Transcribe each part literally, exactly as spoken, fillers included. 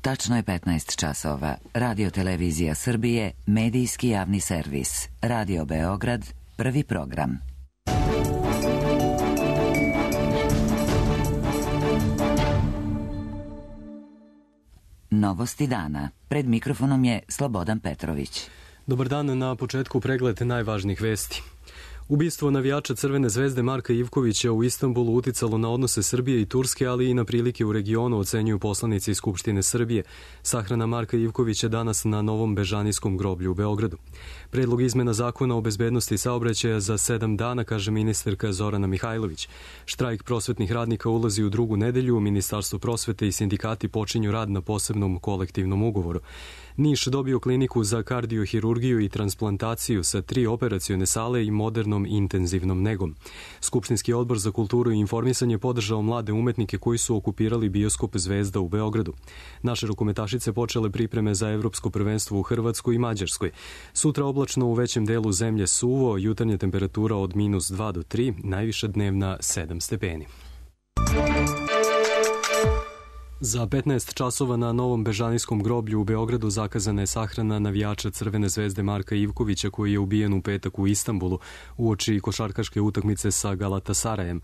Tačno je petnaest časova. Radio Televizija Srbije, medijski javni servis. Radio Beograd, prvi program. Novosti dana. Pred mikrofonom je Slobodan Petrović. Dobar dan, na početku pregled najvažnijih vesti. Ubistvo navijača Crvene zvezde Marka Ivkovića u Istanbulu uticalo na odnose Srbije i Turske, ali i na prilike u regionu, ocenjuju poslanici Skupštine Srbije. Sahrana Marka Ivkovića danas na Novom Bežanijskom groblju u Beogradu. Predlog izmena zakona o bezbednosti saobraćaja za sedam dana, kaže ministarka Zorana Mihajlović. Štrajk prosvetnih radnika ulazi u drugu nedelju, Ministarstvo prosvete i sindikati počinju rad na posebnom kolektivnom ugovoru. Niš dobio kliniku za kardiohirurgiju i transplantaciju sa tri operacione sale i modernom intenzivnom negom. Skupštinski odbor za kulturu i informisanje podržao mlade umetnike koji su okupirali bioskop Zvezda u Beogradu. Naše rukometašice počele pripreme za evropsko prvenstvo u Hrvatskoj i Mađarskoj. Sutra oblačno, u većem delu zemlje suvo, jutarnja temperatura od minus dva do tri, najviša dnevna sedam stepeni. Za petnaest časova na Novom Bežanijskom groblju u Beogradu zakazana je sahrana navijača Crvene zvezde Marka Ivkovića, koji je ubijen u petak u Istanbulu uoči košarkaške utakmice sa Galatasarajem.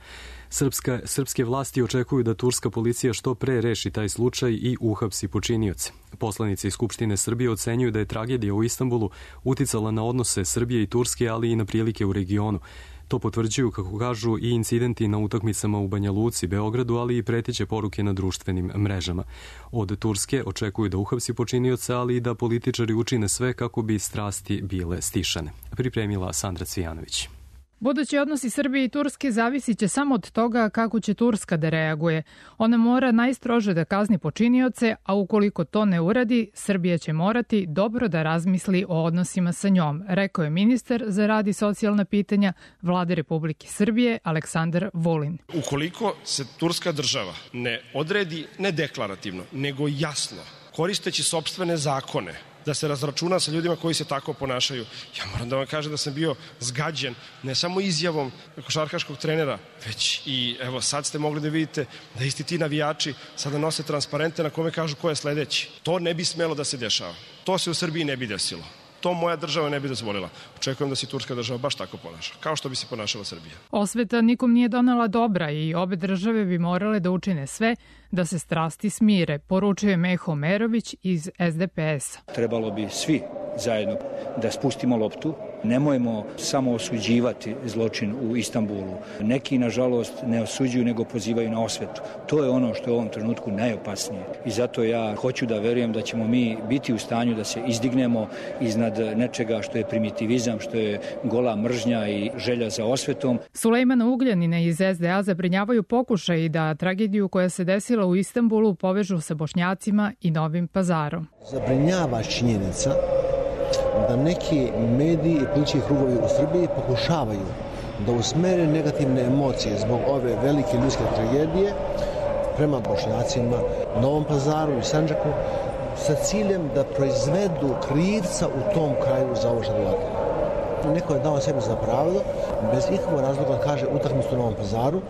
Srpska, srpske vlasti očekuju da turska policija što pre reši taj slučaj i uhapsi počinioce. Poslanici Skupštine Srbije ocenjuju da je tragedija u Istanbulu uticala na odnose Srbije i Turske, ali i na prilike u regionu. To potvrđuju, kako kažu, i incidenti na utakmicama u Banja Luci, Beogradu, ali i preteće poruke na društvenim mrežama. Od Turske očekuju da uhapsi počinioca, ali i da političari učine sve kako bi strasti bile stišane. Pripremila Sandra Cvijanović. Budući odnosi Srbije i Turske zavisit će samo od toga kako će Turska da reaguje. Ona mora najstrože da kazni počinioce, a ukoliko to ne uradi, Srbija će morati dobro da razmisli o odnosima sa njom, rekao je ministar za rad i socijalna pitanja Vlade Republike Srbije Aleksandar Vulin. Ukoliko se turska država ne odredi ne deklarativno, nego jasno, koristeći sopstvene zakone, da se razračuna sa ljudima koji se tako ponašaju. Ja moram da vam kažem da sam bio zgađen ne samo izjavom košarkaškog trenera, već i evo sad ste mogli da vidite da isti ti navijači sada nose transparente na kome kažu ko je sledeći. To ne bi smelo da se dešava. To se u Srbiji ne bi desilo. To moja država ne bi dozvolila. Očekujem da se turska država baš tako ponaša, kao što bi se ponašala Srbija. Osveta nikom nije donela dobra i obe države bi morale da učine sve da se strasti smire, poručuje Meho Merović iz S D P S-a. Trebalo bi svi zajedno da spustimo loptu. Nemojmo samo osuđivati zločin u Istanbulu. Neki, nažalost, ne osuđuju, nego pozivaju na osvetu. To je ono što je u ovom trenutku najopasnije. I zato ja hoću da verujem da ćemo mi biti u stanju da se izdignemo iznad nečega što je primitivizam, što je gola mržnja i želja za osvetom. Sulejmana Ugljanina iz S D A zabrinjavaju pokušaj da tragediju koja se desila u Istanbulu povežu sa Bošnjacima i Novim Pazarom. Zabrinjava činjenica da neki mediji i politički krugovi u Srbiji pokušavaju da usmere negativne emocije zbog ove velike ljudske tragedije prema Bošnjacima, Novom Pazaru i Sandžaku sa ciljem da proizvedu krivca u tom kraju za ovo što dogodilo. Neko je dao sebi za pravilo, bez ikakvog razloga kaže utakmicu u Novom Pazaru,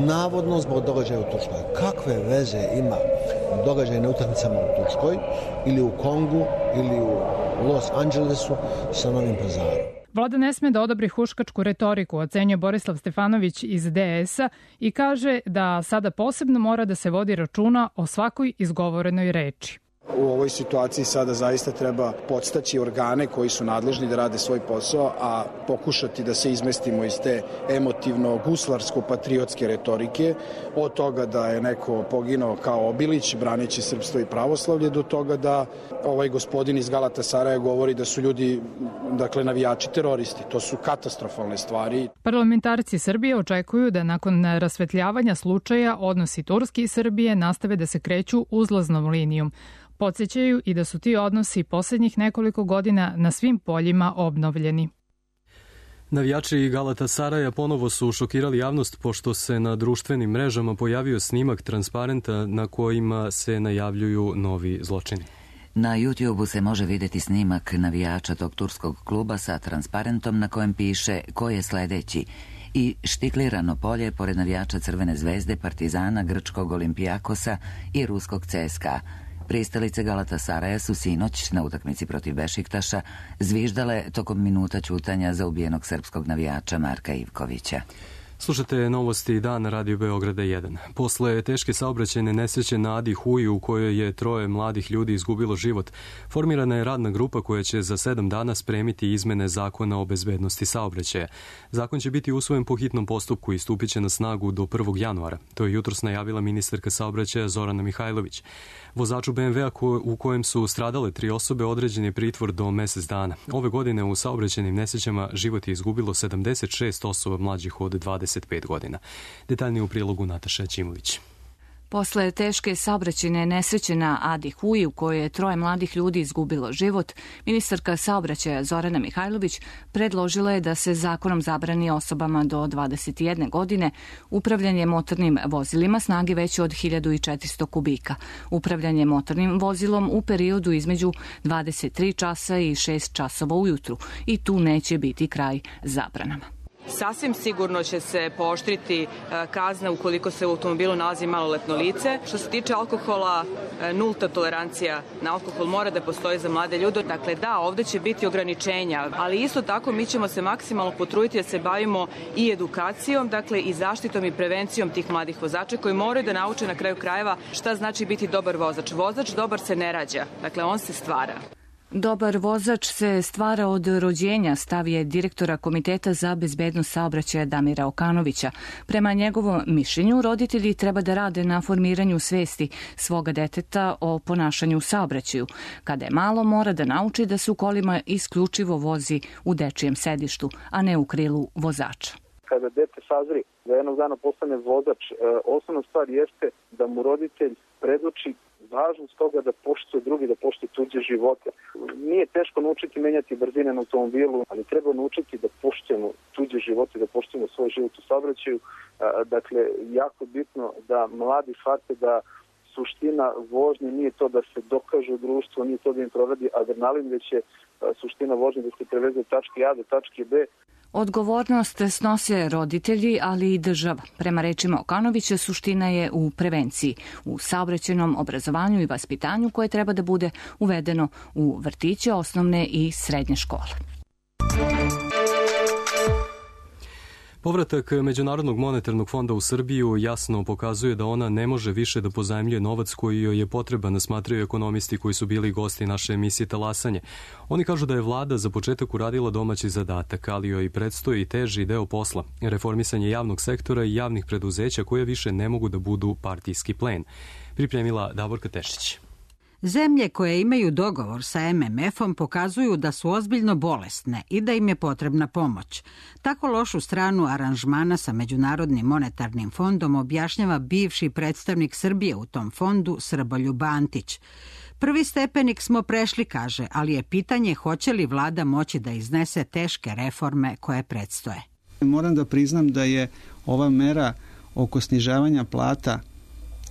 navodno zbog događaja u Turskoj. Kakve veze ima događaje na utakmicama u Turskoj ili u Kongu ili u Los Angelesu sa Novim Pazarom? Vlada ne sme da odobri huškačku retoriku, ocenjuje Borislav Stefanović iz D S-a i kaže da sada posebno mora da se vodi računa o svakoj izgovorenoj reči. U ovoj situaciji sada zaista treba podstaći organe koji su nadležni da rade svoj posao, a pokušati da se izmestimo iz te emotivno-guslarsko-patriotske retorike, od toga da je neko poginao kao Obilić, braneći srpstvo i pravoslavlje, do toga da ovaj gospodin iz Galatasaraja govori da su ljudi, dakle, navijači teroristi. To su katastrofalne stvari. Parlamentarci Srbije očekuju da nakon rasvetljavanja slučaja odnosi Turske i Srbije nastave da se kreću uzlaznom linijom. Podsjećaju i da su ti odnosi poslednjih nekoliko godina na svim poljima obnovljeni. Navijači Galatasaraja ponovo su šokirali javnost pošto se na društvenim mrežama pojavio snimak transparenta na kojima se najavljuju novi zločini. Na YouTubeu se može videti snimak navijača tog turskog kluba sa transparentom na kojem piše ko je sledeći i štiklirano polje pored navijača Crvene zvezde, Partizana, grčkog Olimpijakosa i ruskog C S K A. Pristalice Galatasaraja su sinoć na utakmici protiv Bešiktaša zviždale tokom minuta ćutanja za ubijenog srpskog navijača Marka Ivkovića. Slušate novosti dan na Radio Beograda jedan. Posle teške saobraćajne nesreće na Adi Huji u kojoj je troje mladih ljudi izgubilo život, formirana je radna grupa koja će za sedam dana spremiti izmene zakona o bezbednosti saobraćaja. Zakon će biti usvojen po hitnom postupku i stupit će na snagu do prvog januara. To je jutros najavila ministarka saobraćaja Zorana Mihajlović. Vozaču be em vea u kojem su stradale tri osobe određen je pritvor do mesec dana. Ove godine u saobraćajnim nesrećama život je izgubilo sedamdeset šest osoba mlađih od dvadeset pet godina. Detaljnije u prilogu Nataša Ćimović. Posle teške saobraćajne nesreće na Adi Huji u kojoj je troje mladih ljudi izgubilo život, ministarka saobraćaja Zorana Mihajlović predložila je da se zakonom zabrani osobama do dvadeset jedne godine upravljanje motornim vozilima snage veće od hiljadu četiristo kubika, upravljanje motornim vozilom u periodu između dvadeset tri časa i šest časova ujutru i tu neće biti kraj zabranama. Sasvim sigurno će se pooštriti kazna ukoliko se u automobilu nalazi maloletno lice. Što se tiče alkohola, nulta tolerancija na alkohol mora da postoji za mlade ljude. Dakle, da, ovde će biti ograničenja, ali isto tako mi ćemo se maksimalno potruditi da se bavimo i edukacijom, dakle i zaštitom i prevencijom tih mladih vozača koji moraju da nauče na kraju krajeva šta znači biti dobar vozač. Vozač dobar se ne rađa, dakle on se stvara. Dobar vozač se stvara od rođenja, stav je direktora Komiteta za bezbednost saobraćaja Damira Okanovića. Prema njegovom mišljenju, roditelji treba da rade na formiranju svesti svoga deteta o ponašanju u saobraćaju. Kada je malo, mora da nauči da se u kolima isključivo vozi u dečijem sedištu, a ne u krilu vozača. Kada dete sazri da jednog dana postane vozač, osnovna stvar jeste da mu roditelj predoči važnost toga da poštuje drugi, da poštuje tuđe živote. Nije teško naučiti menjati brzine na automobilu, ali treba naučiti da poštujemo tuđe živote, da poštujemo svoj život u saobraćaju. Dakle, jako bitno da mladi shvate da suština vožnje nije to da se dokaže u društvu, nije to da im provedi adrenalin, već je suština vožnje da se preveze od tačke A do tačke B. Odgovornost snose roditelji, ali i država. Prema rečima Okanovića, suština je u prevenciji, u saobraćajnom obrazovanju i vaspitanju koje treba da bude uvedeno u vrtiće, osnovne i srednje škole. Povratak Međunarodnog monetarnog fonda u Srbiju jasno pokazuje da ona ne može više da pozajmljuje novac koji joj je potreban, smatraju ekonomisti koji su bili gosti naše emisije Talasanje. Oni kažu da je vlada za početak uradila domaći zadatak, ali joj predstoji teži deo posla, reformisanje javnog sektora i javnih preduzeća koje više ne mogu da budu partijski plen. Pripremila Davorka Tešić. Zemlje koje imaju dogovor sa em em efom pokazuju da su ozbiljno bolesne i da im je potrebna pomoć. Tako lošu stranu aranžmana sa Međunarodnim monetarnim fondom objašnjava bivši predstavnik Srbije u tom fondu Srboljub Antić. Prvi stepenik smo prešli, kaže, ali je pitanje hoće li vlada moći da iznese teške reforme koje predstoje. Moram da priznam da je ova mera oko snižavanja plata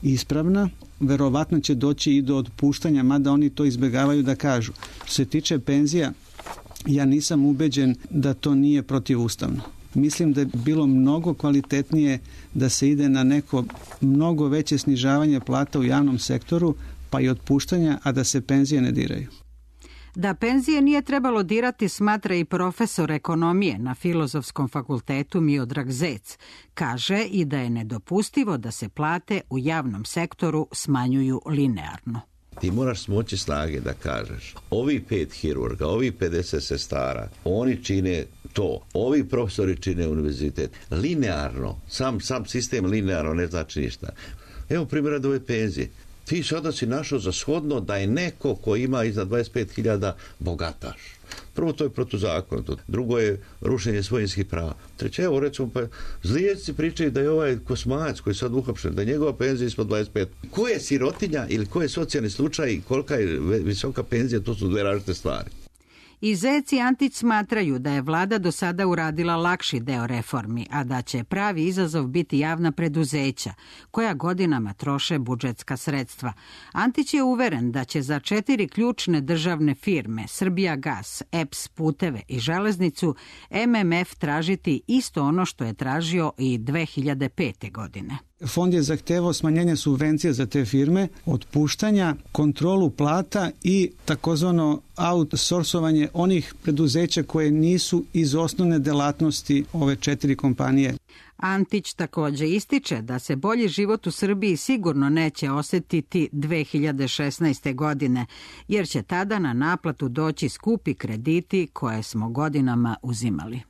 ispravna, verovatno će doći i do otpuštanja, mada oni to izbjegavaju da kažu. Što se tiče penzija, ja nisam ubeđen da to nije protivustavno. Mislim da je bilo mnogo kvalitetnije da se ide na neko mnogo veće snižavanje plata u javnom sektoru, pa i otpuštanja, a da se penzije ne diraju. Da penzije nije trebalo dirati, smatra i profesor ekonomije na Filozofskom fakultetu Miodrag Zec. Kaže i da je nedopustivo da se plate u javnom sektoru smanjuju linearno. Ti moraš smoći snage da kažeš, ovi pet hirurga, ovi pedeset sestara, oni čine to, ovi profesori čine univerzitet. Linearno, sam, sam sistem linearno ne znači ništa. Evo primjera da ove penzije. Ti sada si našao za shodno da je neko ko ima iznad dvadeset pet hiljada bogataš. Prvo, to je protuzakonito. Drugo je rušenje svojinskih prava. Treće, evo recimo, pa zlijeci pričaju da je ovaj Kosmajac koji je sad uhapšen, da je njegova penzija ispod dvadeset pet. Ko je sirotinja ili ko je socijalni slučaj i kolika je visoka penzija, to su dve različite stvari. I Zec i Antić smatraju da je vlada do sada uradila lakši deo reformi, a da će pravi izazov biti javna preduzeća, koja godinama troše budžetska sredstva. Antić je uveren da će za četiri ključne državne firme, Srbijagas, E P S, Puteve i Železnicu, em em ef tražiti isto ono što je tražio i dve hiljade pete godine. Fond je zahtevao smanjenje subvencija za te firme, otpuštanja, kontrolu plata i takozvano outsourcovanje onih preduzeća koje nisu iz osnovne delatnosti ove četiri kompanije. Antić takođe ističe da se bolji život u Srbiji sigurno neće osetiti dve hiljade šesnaeste. godine, jer će tada na naplatu doći skupi krediti koje smo godinama uzimali.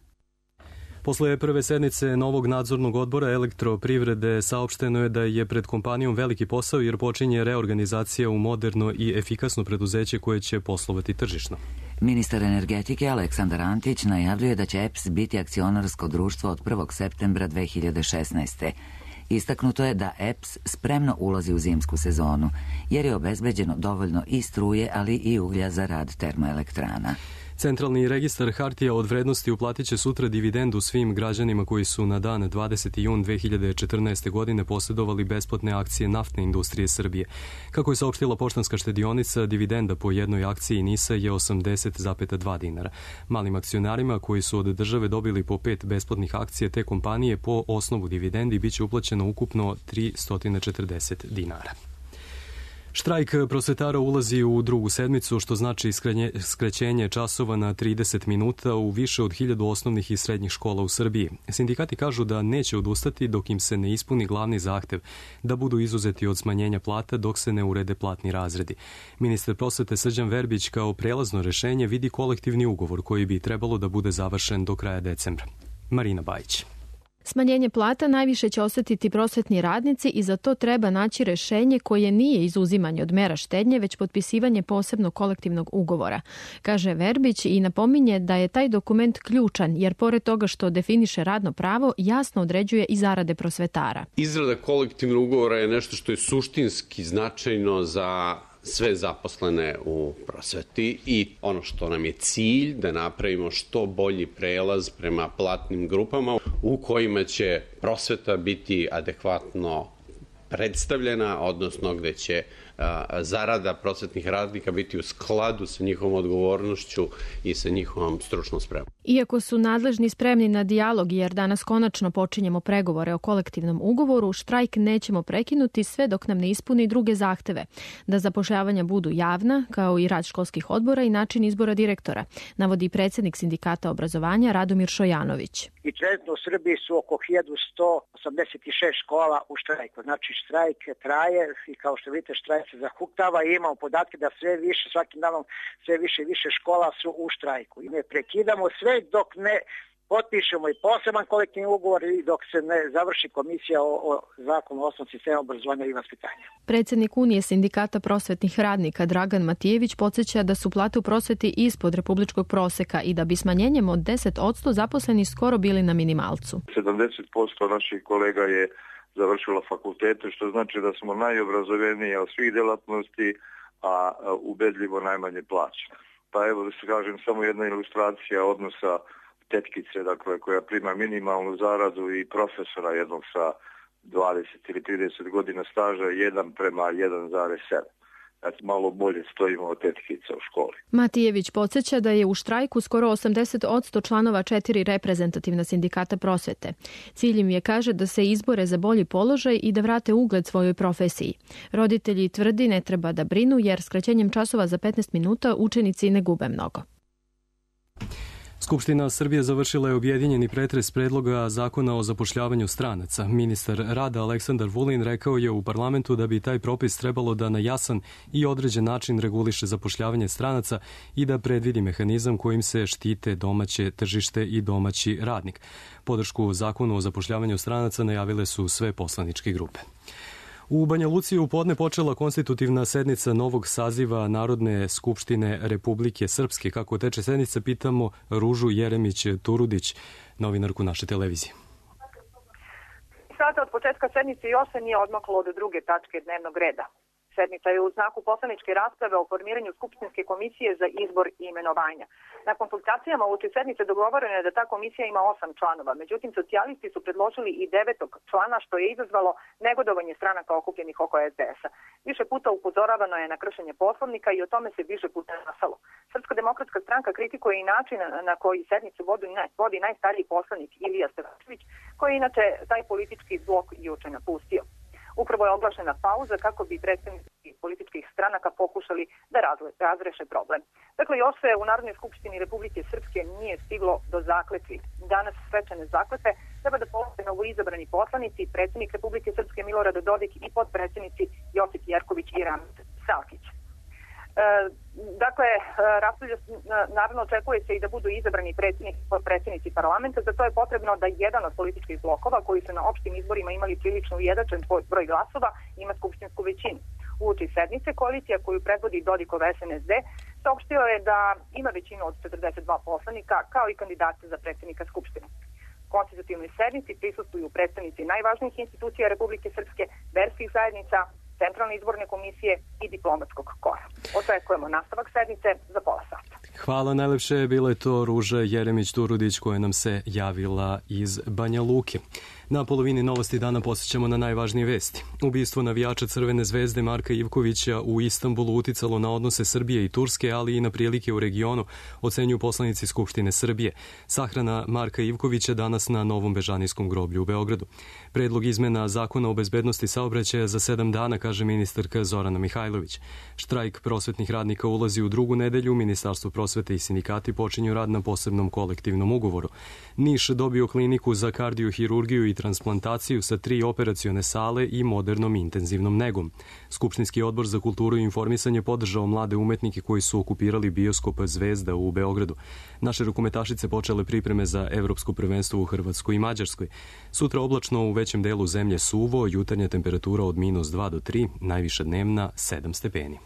Posle prve sednice novog nadzornog odbora Elektroprivrede saopšteno je da je pred kompanijom veliki posao jer počinje reorganizacija u moderno i efikasno preduzeće koje će poslovati tržišno. Ministar energetike Aleksandar Antić najavljuje da će E P S biti akcionarsko društvo od prvog septembra dve hiljade šesnaeste. Istaknuto je da E P S spremno ulazi u zimsku sezonu, jer je obezbeđeno dovoljno i struje, ali i uglja za rad termoelektrana. Centralni registar hartija od vrednosti uplatit će sutra dividendu svim građanima koji su na dan dvadeseti jun dve hiljade četrnaeste. godine posjedovali besplatne akcije naftne industrije Srbije. Kako je saopštila Poštanska štedionica, dividenda po jednoj akciji NIS-a je osamdeset zarez dva dinara. Malim akcionarima koji su od države dobili po pet besplatnih akcija te kompanije po osnovu dividendi biće uplaćeno ukupno tristo četrdeset dinara. Štrajk prosvetara ulazi u drugu sedmicu, što znači skraćenje časova na trideset minuta u više od hiljadu osnovnih i srednjih škola u Srbiji. Sindikati kažu da neće odustati dok im se ne ispuni glavni zahtev da budu izuzeti od smanjenja plata dok se ne urede platni razredi. Ministar prosvete Srđan Verbić kao prelazno rešenje vidi kolektivni ugovor koji bi trebalo da bude završen do kraja decembra. Marina Bajić. Smanjenje plata najviše će osetiti prosvetni radnici i za to treba naći rešenje koje nije izuzimanje od mera štednje, već potpisivanje posebnog kolektivnog ugovora, kaže Verbić i napominje da je taj dokument ključan jer pored toga što definiše radno pravo, jasno određuje i zarade prosvetara. Izrada kolektivnog ugovora je nešto što je suštinski značajno za sve zaposlene u prosveti i ono što nam je cilj da napravimo što bolji prelaz prema platnim grupama u kojima će prosveta biti adekvatno predstavljena, odnosno gde će a, zarada prosvetnih radnika biti u skladu sa njihovom odgovornošću i sa njihovom stručnom spremom. Iako su nadležni spremni na dijalog jer danas konačno počinjemo pregovore o kolektivnom ugovoru, štrajk nećemo prekinuti sve dok nam ne ispuni druge zahteve, da zapošljavanja budu javna, kao i rad školskih odbora i način izbora direktora, navodi predsjednik Sindikata obrazovanja Radomir Šojanović. I trenutno u Srbiji su oko hiljadu sto osamdeset šest škola u štrajku. Znači štrajk traje i kao što vidite štrajk se zahuktava i imamo podatke da sve više, svakim danom sve više i više škola su u štrajku. I ne prekidamo sve dok ne potpišemo i poseban kolektivni ugovor i dok se ne završi komisija o, o zakonu o osnovnom sistemu obrazovanja i vaspitanja. Predsjednik Unije sindikata prosvetnih radnika Dragan Matijević podsjeća da su plate u prosveti ispod republičkog proseka i da bi smanjenjem od deset posto zaposleni skoro bili na minimalcu. sedamdeset posto naših kolega je završilo fakultete, što znači da smo najobrazovaniji od svih delatnosti, a ubedljivo najmanje plaćeni. Pa evo da se kažem samo jedna ilustracija odnosa tetkice, dakle, koja prima minimalnu zaradu i profesora jednog sa dvadeset ili trideset godina staža, jedan prema jedan zarez sedam. Znači, malo bolje stojimo od tetkica u školi. Matijević podsjeća da je u štrajku skoro osamdeset posto članova četiri reprezentativna sindikata prosvete. Cilj im je, kaže, da se izbore za bolji položaj i da vrate ugled svojoj profesiji. Roditelji tvrdi ne treba da brinu jer skraćenjem časova za petnaest minuta učenici ne gube mnogo. Skupština Srbije završila je objedinjeni pretres predloga zakona o zapošljavanju stranaca. Ministar rada Aleksandar Vulin rekao je u parlamentu da bi taj propis trebalo da na jasan i određen način reguliše zapošljavanje stranaca i da predvidi mehanizam kojim se štite domaće tržište i domaći radnik. Podršku zakonu o zapošljavanju stranaca najavile su sve poslaničke grupe. U Banja Luci je u podne počela konstitutivna sednica novog saziva Narodne skupštine Republike Srpske. Kako teče sednica, pitamo Ružu Jeremić-Turudić, novinarku naše televizije. Sata od početka sednice još se nije odmaklo od druge tačke dnevnog reda. sednica je u znaku poslaničke rasprave o formiranju Skupštinske komisije za izbor i imenovanja. Na konsultacijama uoči sednice dogovoreno je da ta komisija ima osam članova, međutim socijalisti su predložili i devetog člana, što je izazvalo negodovanje stranaka okupljenih oko es de es a. Više puta upozoravano je na kršenje poslovnika i o tome se više puta glasalo. Srpska demokratska stranka kritikuje i način na koji sednicu vodi najstariji poslanik Ilija Stevačević, koji je inače taj politički blok juče napustio. Upravo je oglašena pauza kako bi predstavnici političkih stranaka pokušali da razreše problem. Dakle, još se u Narodnoj skupštini Republike Srpske nije stiglo do zakletvi. Danas svečane zakletve treba da polože novoizabrani poslanici, predsjednik Republike Srpske Milorad Dodik i potpredsjednici Josip Jerković i Ramil Salkić. E, dakle, raspravlja, naravno očekuje se i da budu izabrani predsjednik i potpredsjednici parlamenta, za to je potrebno da jedan od političkih blokova koji su na opštim izborima imali prilično ujednačen broj glasova ima skupštinsku većinu. Uoči sednice koalicija koju predvodi Dodikov es en es de saopštio je da ima većinu od četrdeset dva poslanika kao i kandidata za predsjednika Skupštine. Konstitutivnoj sednici prisustvuju predstavnici najvažnijih institucija Republike Srpske, verskih zajednica, Centralne izborne komisije i diplomatskog kora. Očekujemo nastavak sednice za pola sata. Hvala najlepše, bila je to Ruža Jeremić-Turudić koja nam se javila iz Banja Luke. Na polovini Novosti dana posjećamo na najvažnije vesti. Ubistvo navijača Crvene zvezde Marka Ivkovića u Istanbulu uticalo na odnose Srbije i Turske, ali i na prilike u regionu, ocenjuju poslanici Skupštine Srbije. Sahrana Marka Ivkovića danas na Novom Bežanijskom groblju u Beogradu. Predlog izmena Zakona o bezbednosti saobraćaja za sedam dana, kaže ministarka Zorana Mihajlović. Štrajk prosvetnih radnika ulazi u drugu nedelju, Ministarstvo prosvete i sindikati počinju rad na posebnom kolektivnom ugovoru. Niš dobio kliniku za kardiohirurgiju i transplantaciju sa tri operacione sale i modernom intenzivnom negom. Skupštinski odbor za kulturu i informisanje podržao mlade umetnike koji su okupirali bioskop Zvezda u Beogradu. Naše rukometašice počele pripreme za evropsko prvenstvo u Hrvatskoj i Mađarskoj. Sutra oblačno, u većem delu zemlje suvo, jutarnja temperatura od minus dva do tri, najviša dnevna sedam stepeni.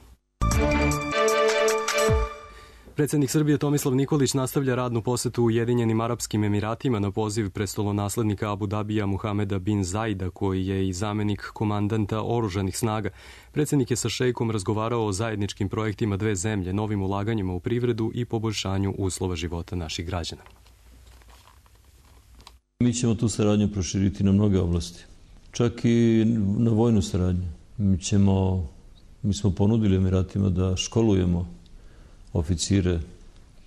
Predsjednik Srbije Tomislav Nikolić nastavlja radnu posetu Ujedinjenim Arapskim Emiratima na poziv prestolonaslednika Abu Dabija Muhameda bin Zaida, koji je i zamenik komandanta oružanih snaga. Predsjednik je sa šejkom razgovarao o zajedničkim projektima dve zemlje, novim ulaganjima u privredu i poboljšanju uslova života naših građana. Mi ćemo tu saradnju proširiti na mnoge oblasti, čak i na vojnu saradnju. Mi, ćemo, mi smo ponudili Emiratima da školujemo oficire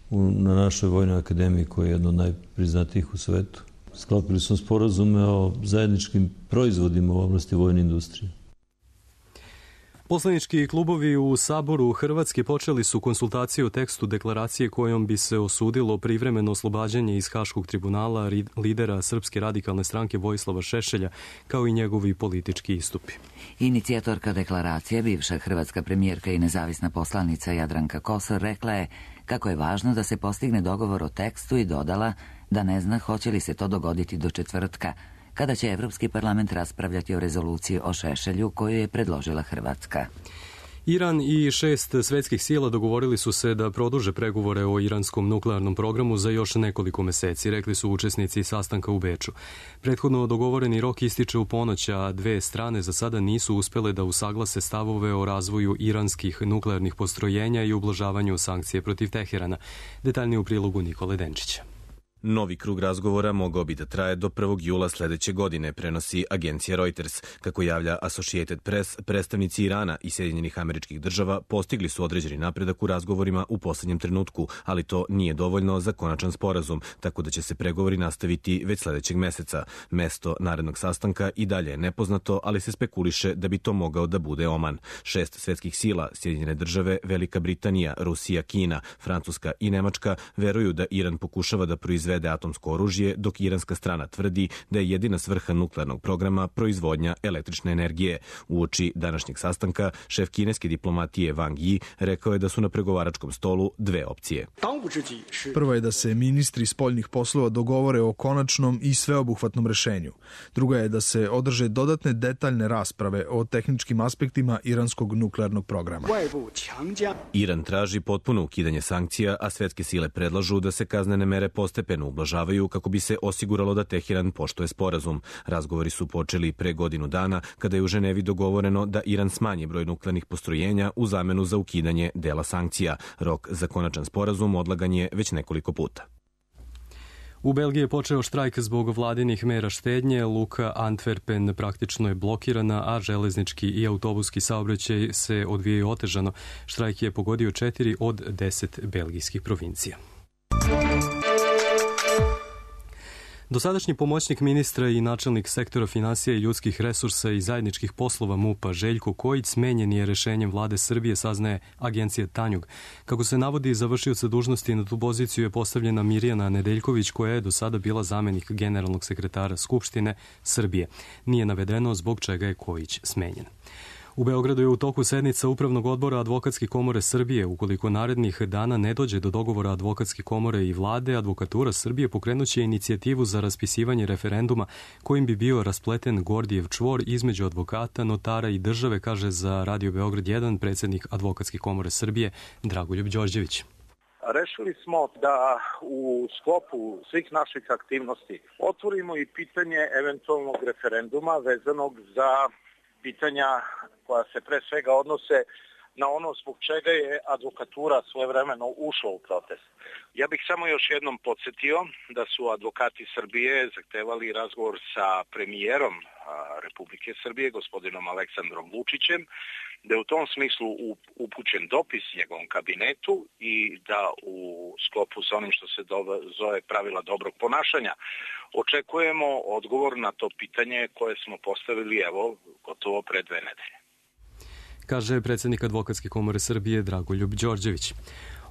na našoj vojnoj akademiji koja je jedna od najpriznatijih u svetu. Sklopili smo sporazume o zajedničkim proizvodima u oblasti vojne industrije. Poslanički klubovi u Saboru Hrvatske počeli su konsultacije o tekstu deklaracije kojom bi se osudilo privremeno oslobađanje iz Haškog tribunala lidera Srpske radikalne stranke Vojislava Šešelja, kao i njegovi politički istupi. Inicijatorka deklaracije, bivša hrvatska premijerka i nezavisna poslanica Jadranka Kosor, rekla je kako je važno da se postigne dogovor o tekstu i dodala da ne zna hoće li se to dogoditi do četvrtka, kada će Evropski parlament raspravljati o rezoluciji o Šešelju koju je predložila Hrvatska. Iran i šest svetskih sila dogovorili su se da produže pregovore o iranskom nuklearnom programu za još nekoliko meseci, rekli su učesnici sastanka u Beču. Prethodno dogovoreni rok ističe u ponoć, a dve strane za sada nisu uspele da usaglase stavove o razvoju iranskih nuklearnih postrojenja i ublažavanju sankcije protiv Teherana. Detaljnije u prilogu Nikole Denčića. Novi krug razgovora mogao bi da traje do prvog jula sledeće godine, prenosi agencija Reuters. Kako javlja Associated Press, predstavnici Irana i Sjedinjenih Američkih Država postigli su određeni napredak u razgovorima u poslednjem trenutku, ali to nije dovoljno za konačan sporazum, tako da će se pregovori nastaviti već sledećeg meseca. Mesto narednog sastanka i dalje je nepoznato, ali se spekuliše da bi to mogao da bude Oman. Šest svetskih sila, Sjedinjene Države, Velika Britanija, Rusija, Kina, Francuska i Nemačka, veruju da Iran pokušava da proizvede atomsko oružje, dok iranska strana tvrdi da je jedina svrha nuklearnog programa proizvodnja električne energije. Uoči današnjeg sastanka, šef kineske diplomatije Wang Yi rekao je da su na pregovaračkom stolu dve opcije. Prvo je da se ministri spoljnih poslova dogovore o konačnom i sveobuhvatnom rešenju. Druga je da se održe dodatne detaljne rasprave o tehničkim aspektima iranskog nuklearnog programa. Iran traži potpuno ukidanje sankcija, a svetske sile predlažu da se kaznene mere postepeno postepeno ublažavaju kako bi se osiguralo da Teheran poštuje sporazum. Razgovori su počeli pre godinu dana kada je u Ženevi dogovoreno da Iran smanji broj nuklearnih postrojenja u zamenu za ukidanje dela sankcija. Rok za konačan sporazum odlagan je već nekoliko puta. U Belgiji je počeo štrajk zbog vladinih mera štednje. Luka Antwerpen praktično je blokirana, a železnički i autobuski saobraćaj se odvijaju otežano. Štrajk je pogodio četiri od deset belgijskih provincija. Dosadašnji pomoćnik ministra i načelnik sektora finansija i ljudskih resursa i zajedničkih poslova MUP-a Željko Kojić smenjen je rešenjem vlade Srbije, saznaje agencija Tanjug. Kako se navodi, završioca dužnosti na tu poziciju je postavljena Mirjana Nedeljković, koja je do sada bila zamenik generalnog sekretara Skupštine Srbije. Nije navedeno zbog čega je Kojić smenjen. U Beogradu je u toku sednica Upravnog odbora Advokatske komore Srbije. Ukoliko narednih dana ne dođe do dogovora Advokatske komore i vlade, Advokatura Srbije pokrenuće inicijativu za raspisivanje referenduma kojim bi bio raspleten Gordijev čvor između advokata, notara i države, kaže za Radio Beograd jedan predsednik Advokatske komore Srbije Dragoljub Đorđević. Rešili smo da u sklopu svih naših aktivnosti otvorimo i pitanje eventualnog referenduma vezanog za pitanja koja se pre svega odnose na ono zbog čega je advokatura svojevremeno ušla u protest. Ja bih samo još jednom podsjetio da su advokati Srbije zahtevali razgovor sa premijerom Republike Srbije, gospodinom Aleksandrom Vučićem, da je u tom smislu upućen dopis njegovom kabinetu i da u sklopu sa onim što se zove pravila dobrog ponašanja očekujemo odgovor na to pitanje koje smo postavili evo gotovo pre dve nedelje. Kaže predsednik Advokatske komore Srbije Dragoljub Đorđević.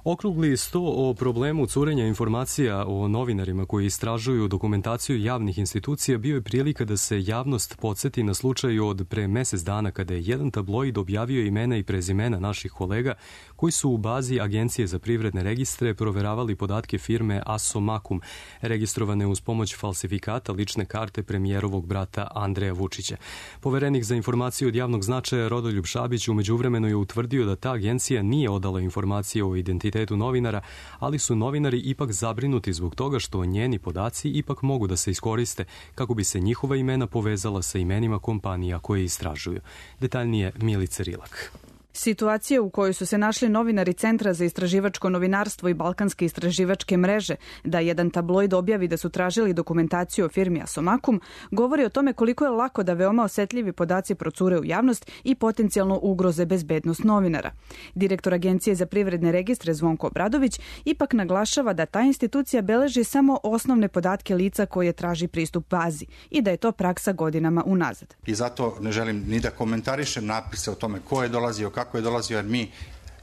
Okrugli sto o problemu curenja informacija o novinarima koji istražuju dokumentaciju javnih institucija bio je prilika da se javnost podsjeti na slučaju od pre mesec dana kada je jedan tabloid objavio imena i prezimena naših kolega koji su u bazi Agencije za privredne registre proveravali podatke firme Asomakum, registrovane uz pomoć falsifikata lične karte premijerovog brata Andreja Vučića. Poverenik za informaciju od javnog značaja Rodoljub Šabić umeđu vremenu je utvrdio da ta agencija nije odala informacije o identitetu novinara, ali su novinari ipak zabrinuti zbog toga što njeni podaci ipak mogu da se iskoriste kako bi se njihova imena povezala sa imenima kompanija koje istražuju. Detaljnije Milica Rilak. Situacija u kojoj su se našli novinari Centra za istraživačko novinarstvo i Balkanske istraživačke mreže da jedan tabloid objavi da su tražili dokumentaciju o firmi Asomakum govori o tome koliko je lako da veoma osetljivi podaci procure u javnost i potencijalno ugroze bezbednost novinara. Direktor Agencije za privredne registre Zvonko Obradović ipak naglašava da ta institucija beleži samo osnovne podatke lica koje traži pristup bazi i da je to praksa godinama unazad. I zato ne želim ni da komentarišem napise o tome ko je dolazio, kako kako je dolazio, jer mi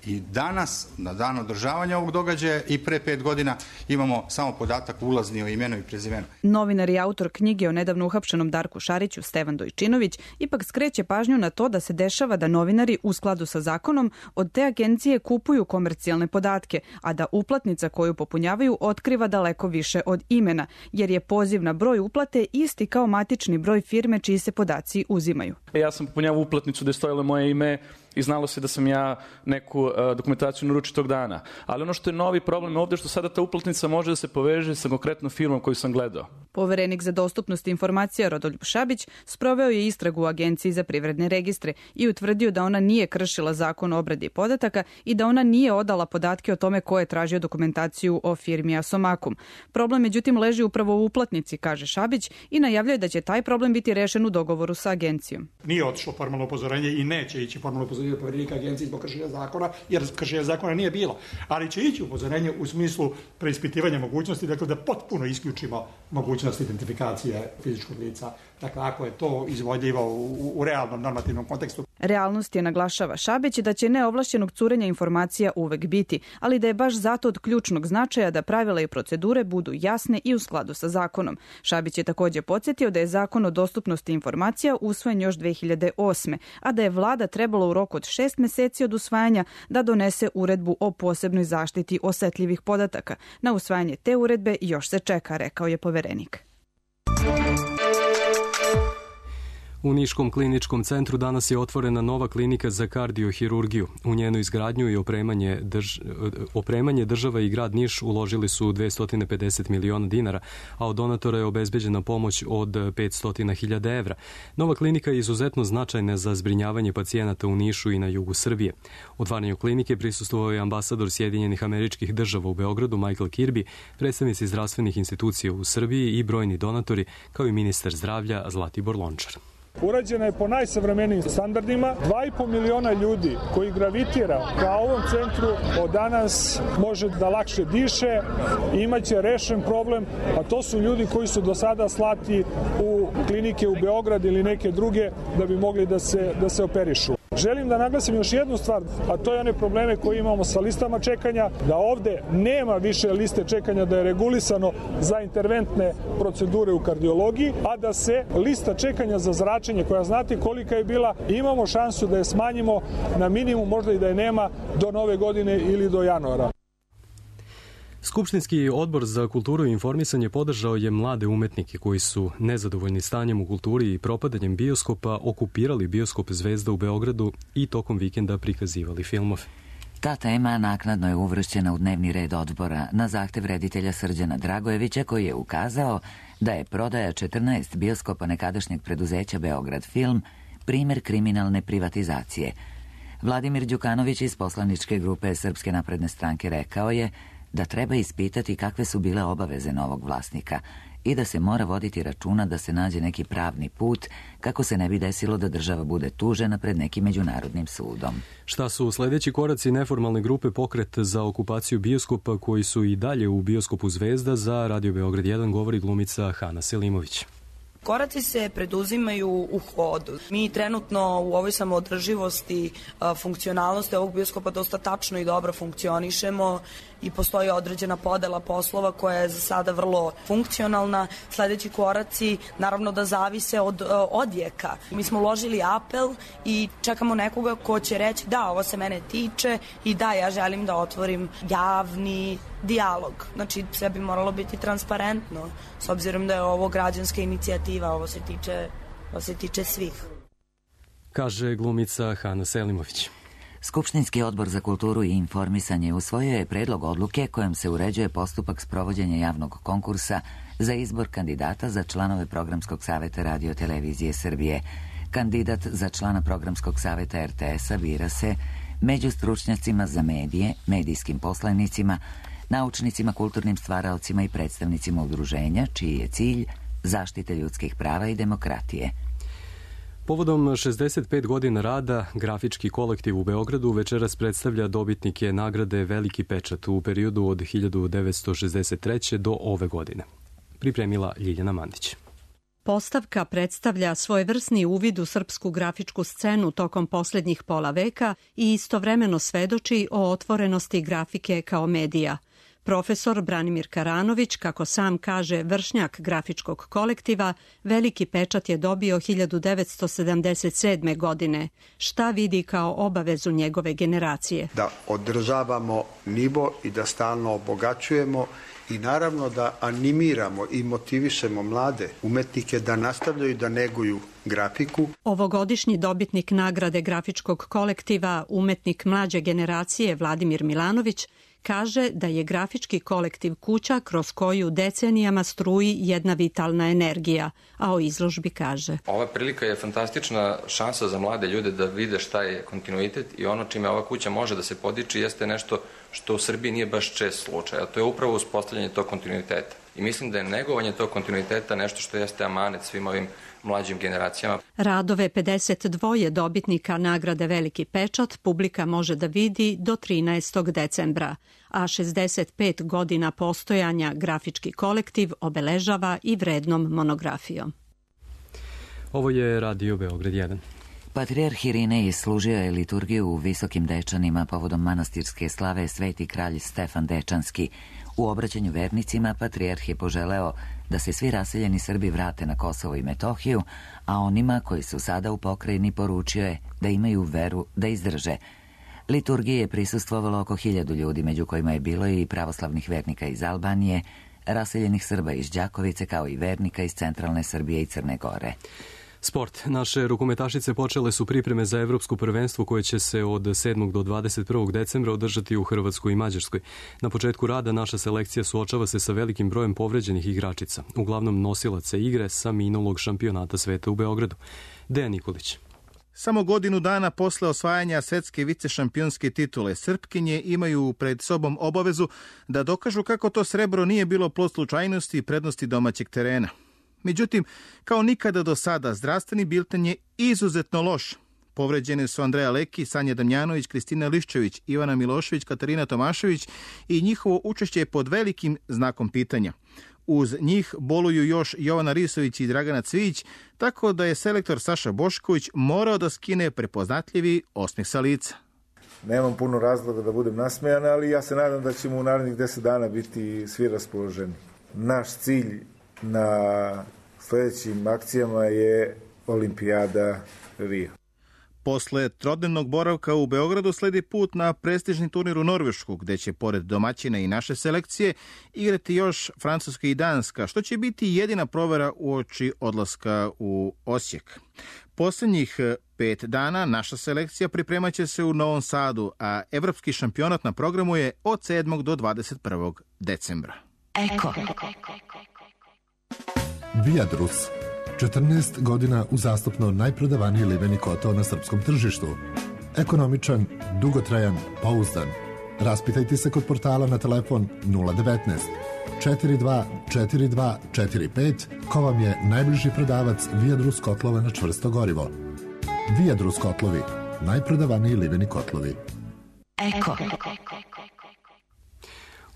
i danas, na dan održavanja ovog događaja i pre pet godina, imamo samo podatak ulazni o imenu i prezimenu. Novinar i autor knjige o nedavno uhapšenom Darku Šariću, Stevan Dojčinović, ipak skreće pažnju na to da se dešava da novinari u skladu sa zakonom od te agencije kupuju komercijalne podatke, a da uplatnica koju popunjavaju otkriva daleko više od imena, jer je poziv na broj uplate isti kao matični broj firme čiji se podaci uzimaju. Ja sam popunjavao uplatnicu gde je stojilo moje ime i znalo se da sam ja neku uh, dokumentaciju naručio tog dana. Ali ono što je novi problem ovde što sada ta uplatnica može da se poveže sa konkretnom firmom koju sam gledao. Poverenik za dostupnost informacija Rodoljub Šabić sproveo je istragu u Agenciji za privredne registre i utvrdio da ona nije kršila zakon o obradi podataka i da ona nije odala podatke o tome ko je tražio dokumentaciju o firmi Asomakum. Problem međutim leži upravo u uplatnici, kaže Šabić, i najavljuje da će taj problem biti rešen u dogovoru sa agencijom. Nije otišlo formalno upozorenje i neće ići formalno upozorenje poverenika agencije zbog kršenja zakona, jer kršenja zakona nije bilo. Ali će ići upozorenje u smislu preispitivanja mogućnosti, dakle da potpuno isključimo mogućnost identifikacije fizičkog lica. Dakle, ako je to izvodljivo u, u realnom normativnom kontekstu. Realnost je, naglašava Šabić, da će neovlašćenog curenja informacija uvek biti, ali da je baš zato od ključnog značaja da pravila i procedure budu jasne i u skladu sa zakonom. Šabić je takođe podsjetio da je zakon o dostupnosti informacija usvojen još dve hiljade osme, a da je vlada trebalo u roku od šest meseci od usvajanja da donese uredbu o posebnoj zaštiti osetljivih podataka. Na usvajanje te uredbe još se čeka, rekao je poverenik. U Niškom kliničkom centru danas je otvorena nova klinika za kardiohirurgiju. U njenu izgradnju i opremanje, drž... opremanje država i grad Niš uložili su dvesta pedeset miliona dinara, a od donatora je obezbeđena pomoć od petsto hiljada evra. Nova klinika je izuzetno značajna za zbrinjavanje pacijenata u Nišu i na jugu Srbije. Otvaranju klinike prisustvovao je ambasador Sjedinjenih Američkih Država u Beogradu Michael Kirby, predstavnici zdravstvenih institucija u Srbiji i brojni donatori, kao i ministar zdravlja Zlatibor Lončar. Urađena je po najsavremenijim standardima. Dva i po miliona ljudi koji gravitira ka ovom centru od danas može da lakše diše i imaće rešen problem, a to su ljudi koji su do sada slati u klinike u Beograd ili neke druge da bi mogli da se, da se operišu. Želim da naglasim još jednu stvar, a to je one probleme koje imamo sa listama čekanja, da ovde nema više liste čekanja, da je regulisano za interventne procedure u kardiologiji, a da se lista čekanja za zračenje, koja znate kolika je bila, imamo šansu da je smanjimo na minimum, možda i da je nema do nove godine ili do januara. Skupštinski odbor za kulturu i informisanje podržao je mlade umetnike koji su nezadovoljni stanjem u kulturi i propadanjem bioskopa okupirali bioskop Zvezda u Beogradu i tokom vikenda prikazivali filmove. Ta tema naknadno je uvršćena u dnevni red odbora na zahtev reditelja Srđana Dragojevića, koji je ukazao da je prodaja četrnaest bioskopa nekadašnjeg preduzeća Beograd Film primer kriminalne privatizacije. Vladimir Đukanović iz poslaničke grupe Srpske napredne stranke rekao je da treba ispitati kakve su bile obaveze novog vlasnika i da se mora voditi računa da se nađe neki pravni put kako se ne bi desilo da država bude tužena pred nekim međunarodnim sudom. Šta su sledeći koraci neformalne grupe Pokret za okupaciju bioskopa koji su i dalje u bioskopu Zvezda za Radio Beograd jedan, govori glumica Hana Selimović. Koraci se preduzimaju u hodu. Mi trenutno u ovoj samoodrživosti, funkcionalnosti ovog bioskopa dosta tačno i dobro funkcionišemo i postoji određena podela poslova koja je za sada vrlo funkcionalna. Sledeći koraci naravno da zavise od odjeka. Mi smo uložili apel i čekamo nekoga ko će reći da, ovo se mene tiče i da, ja želim da otvorim javni dijalog. Znači, sve bi moralo biti transparentno, s obzirom da je ovo građanska inicijativa, ovo se tiče, ovo se tiče svih. Kaže glumica Hana Selimović. Skupštinski odbor za kulturu i informisanje usvojio je predlog odluke kojom se uređuje postupak sprovođenja javnog konkursa za izbor kandidata za članove Programskog saveta Radio-televizije Srbije. Kandidat za člana Programskog saveta er te es-a bira se među stručnjacima za medije, medijskim poslanicima, naučnicima, kulturnim stvaraocima i predstavnicima udruženja, čiji je cilj zaštite ljudskih prava i demokratije. Povodom šezdeset pet godina rada, grafički kolektiv u Beogradu večeras predstavlja dobitnike nagrade Veliki pečat u periodu od hiljadu devetsto šezdeset treće do ove godine. Pripremila Ljiljana Mandić. Postavka predstavlja svojevrsni uvid u srpsku grafičku scenu tokom posljednjih pola veka i istovremeno svedoči o otvorenosti grafike kao medija. Profesor Branimir Karanović, kako sam kaže vršnjak grafičkog kolektiva, Veliki pečat je dobio hiljadu devetsto sedamdeset sedme. godine. Šta vidi kao obavezu njegove generacije? Da održavamo nivo i da stalno obogaćujemo i naravno da animiramo i motivišemo mlade umetnike da nastavljaju da neguju grafiku. Ovogodišnji dobitnik nagrade grafičkog kolektiva, umetnik mlađe generacije Vladimir Milanović, kaže da je grafički kolektiv kuća kroz koju decenijama struji jedna vitalna energija, a o izložbi kaže: Ova prilika je fantastična šansa za mlade ljude da vide šta je kontinuitet i ono čime ova kuća može da se podiči jeste nešto što u Srbiji nije baš čest slučaj, a to je upravo uspostavljanje tog kontinuiteta. I mislim da je negovanje tog kontinuiteta nešto što jeste amanet svim ovim mlađim generacijama. Radove pedeset dva dobitnika nagrade Veliki pečat publika može da vidi do trinaestog decembra, a šezdeset pet godina postojanja grafički kolektiv obeležava i vrednom monografijom. Ovo je Radio Beograd jedan. Patrijarh Irinej služio je liturgiju u Visokim Dečanima povodom manastirske slave Sveti kralj Stefan Dečanski. U obraćanju vernicima patrijarh je poželeo da se svi raseljeni Srbi vrate na Kosovo i Metohiju, a onima koji su sada u pokrajini poručio je da imaju veru da izdrže. Liturgiji je prisustvovalo oko hiljadu ljudi, među kojima je bilo i pravoslavnih vernika iz Albanije, raseljenih Srba iz Đakovice, kao i vernika iz centralne Srbije i Crne Gore. Sport. Naše rukometašice počele su pripreme za evropsko prvenstvo koje će se od sedmog do dvadeset prvog decembra održati u Hrvatskoj i Mađarskoj. Na početku rada naša selekcija suočava se sa velikim brojem povređenih igračica, uglavnom nosilaca igre sa minulog šampionata sveta u Beogradu. Dejan Nikolić. Samo godinu dana posle osvajanja svetske vicešampionske titule, Srpkinje imaju pred sobom obavezu da dokažu kako to srebro nije bilo plod slučajnosti i prednosti domaćeg terena. Međutim, kao nikada do sada, zdravstveni bilten je izuzetno loš. Povređene su Andreja Leki, Sanja Damjanović, Kristina Liščević, Ivana Milošević, Katarina Tomašević i njihovo učešće je pod velikim znakom pitanja. Uz njih boluju još Jovana Risović i Dragana Cvijić, tako da je selektor Saša Bošković morao da skine prepoznatljivi osmeh sa lica. Nemam puno razloga da budem nasmejan, ali ja se nadam da ćemo u narednih deset dana biti svi raspoloženi. Naš cilj na sljedećim akcijama je Olimpijada Rio. Posle trodnevnog boravka u Beogradu sledi put na prestižni turnir u Norvešku, gde će pored domaćina i naše selekcije igrati još Francuska i Danska, što će biti jedina provera uoči odlaska u Osijek. Poslednjih pet dana naša selekcija pripremaće se u Novom Sadu, a evropski šampionat na programu je od sedmog do dvadeset prvog decembra. Eko. Viadrus. četrnaest godina uzastopno najprodavaniji liveni kotao na srpskom tržištu. Ekonomičan, dugotrajan, pouzdan. Raspitajte se kod portala na telefon nula devetnaest četiri dva četiri dva četiri pet ko vam je najbliži prodavac Viadrus kotlova na čvrsto gorivo. Viadrus kotlovi, najprodavaniji liveni kotlovi. Eko.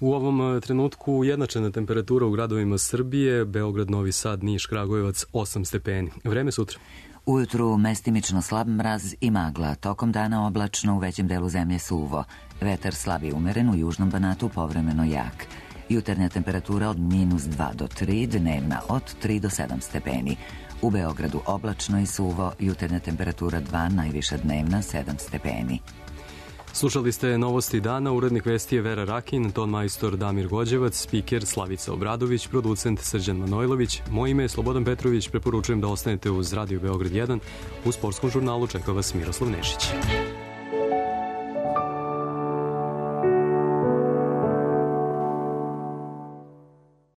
U ovom trenutku ujednačena temperatura u gradovima Srbije, Beograd, Novi Sad, Niš, Kragujevac, osam stepeni. Vreme sutra. Ujutru mestimično slab mraz i magla, tokom dana oblačno, u većem delu zemlje suvo. Vetar slab i umeren, u južnom Banatu povremeno jak. Jutarnja temperatura od minus dva do tri, dnevna od tri do sedam stepeni. U Beogradu oblačno i suvo, jutarnja temperatura dva, najviša dnevna sedam stepeni. Slušali ste novosti dana, urednik vesti je Vera Rakin, ton majstor Damir Gođevac, spiker Slavica Obradović, producent Srđan Manojlović. Moje ime je Slobodan Petrović, preporučujem da ostanete uz Radio Beograd jedan. U sportskom žurnalu čeka vas Miroslav Nešić.